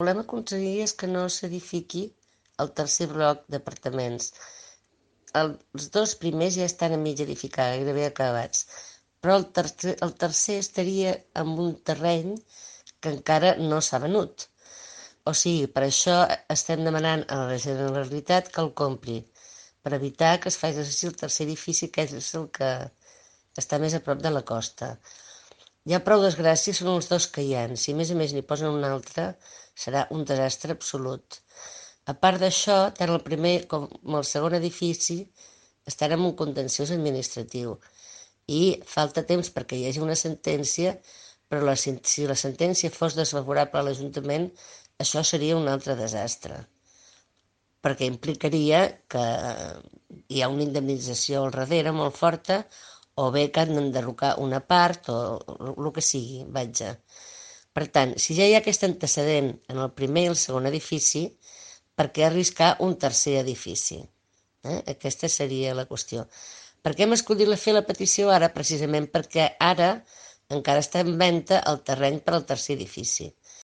volem aconseguir és que no s'edifiqui el tercer bloc d'apartaments. Els dos primers ja estan a mig edificar, gairebé acabats, però el tercer estaria en un terreny que encara no s'ha venut. O sigui, per això estem demanant a la Generalitat que el compri, per evitar que es faci el tercer edifici, que és el que està més a prop de la costa. Ja prou desgràcies són els dos que hi ha. Si a més n'hi posen un altre, serà un desastre absolut. A part d'això, tant el primer com el segon edifici estan en un contenciós administratiu i falta temps perquè hi hagi una sentència, però si la sentència fos desfavorable a l'Ajuntament, això seria un altre desastre, perquè implicaria que hi ha una indemnització al darrere molt forta, o bé que han d'enderrocar una part, o el que sigui, vaja. Per tant, si ja hi ha aquest antecedent en el primer i el segon edifici, per què arriscar un tercer edifici? Aquesta seria la qüestió. Per què hem escollit fer la petició ara? Precisament perquè ara encara està en venda el terreny per al tercer edifici.